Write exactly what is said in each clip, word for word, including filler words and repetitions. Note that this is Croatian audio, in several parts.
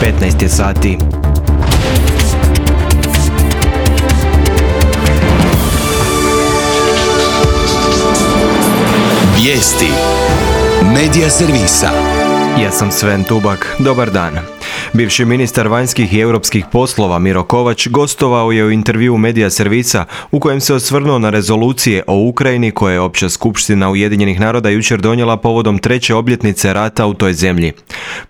petnaest je sati. Vijesti Medija servisa. Ja sam Sven Tubak. Dobar dan. Bivši ministar vanjskih i europskih poslova Miro Kovač gostovao je u intervjuu Medija servisa u kojem se osvrnuo na rezolucije o Ukrajini koje je Opća skupština Ujedinjenih naroda jučer donijela povodom treće obljetnice rata u toj zemlji.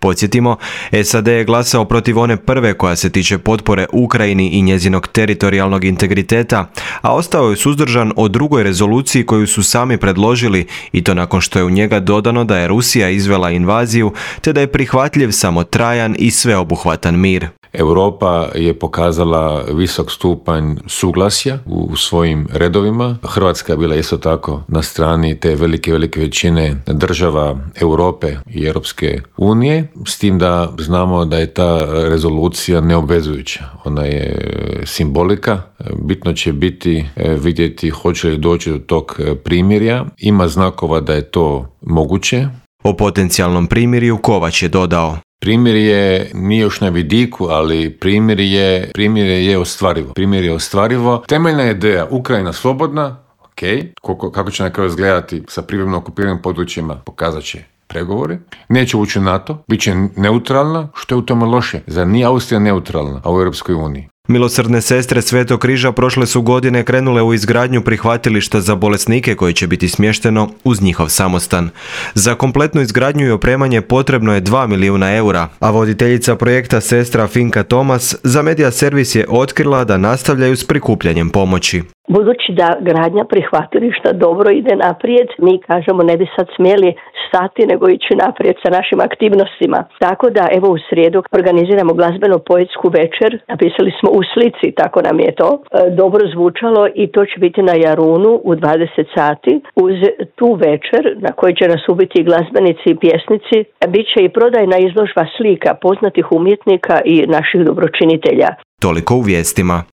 Podsjetimo, S A D je glasao protiv one prve koja se tiče potpore Ukrajini i njezinog teritorijalnog integriteta, a ostao je suzdržan o drugoj rezoluciji koju su sami predložili i to nakon što je u njega dodano da je Rusija izvela invaziju te da je prihvatljiv samo trajan i sveobuhvatan mir. Europa je pokazala visok stupanj suglasja u svojim redovima. Hrvatska je bila isto tako na strani te velike, velike većine država Europe i Europske unije, s tim da znamo da je ta rezolucija neobvezujuća. Ona je simbolika. Bitno će biti vidjeti hoće li doći do tog primirja. Ima znakova da je to moguće. O potencijalnom primirju Kovač je dodao: Primjer je, nije još na vidiku, ali primjer je, primjer je ostvarivo. Primjer je ostvarivo. Temeljna ideja, Ukrajina slobodna, ok, kako, kako će na kraju izgledati sa privremeno okupiranim područjima, pokazat će pregovori. Neće ući u NATO, bit će neutralna, što je u tome loše. Zar nije Austrija neutralna, a u Europskoj uniji? Milosrdne sestre Svetog križa prošle su godine krenule u izgradnju prihvatilišta za bolesnike koje će biti smješteno uz njihov samostan. Za kompletnu izgradnju i opremanje potrebno je dva milijuna eura, a voditeljica projekta sestra Finka Tomas za Medija servis je otkrila da nastavljaju s prikupljanjem pomoći. Budući da gradnja prihvatilišta dobro ide naprijed, mi kažemo ne bi sad smjeli stati nego ići naprijed sa našim aktivnostima. Tako da evo u srijedu organiziramo glazbeno-poetsku večer, napisali smo u slici, tako nam je to e, dobro zvučalo i to će biti na Jarunu u dvadeset sati. Uz tu večer na kojoj će nas ubiti glazbenici i pjesnici, bit će i prodajna izložba slika poznatih umjetnika i naših dobročinitelja. Toliko u vijestima.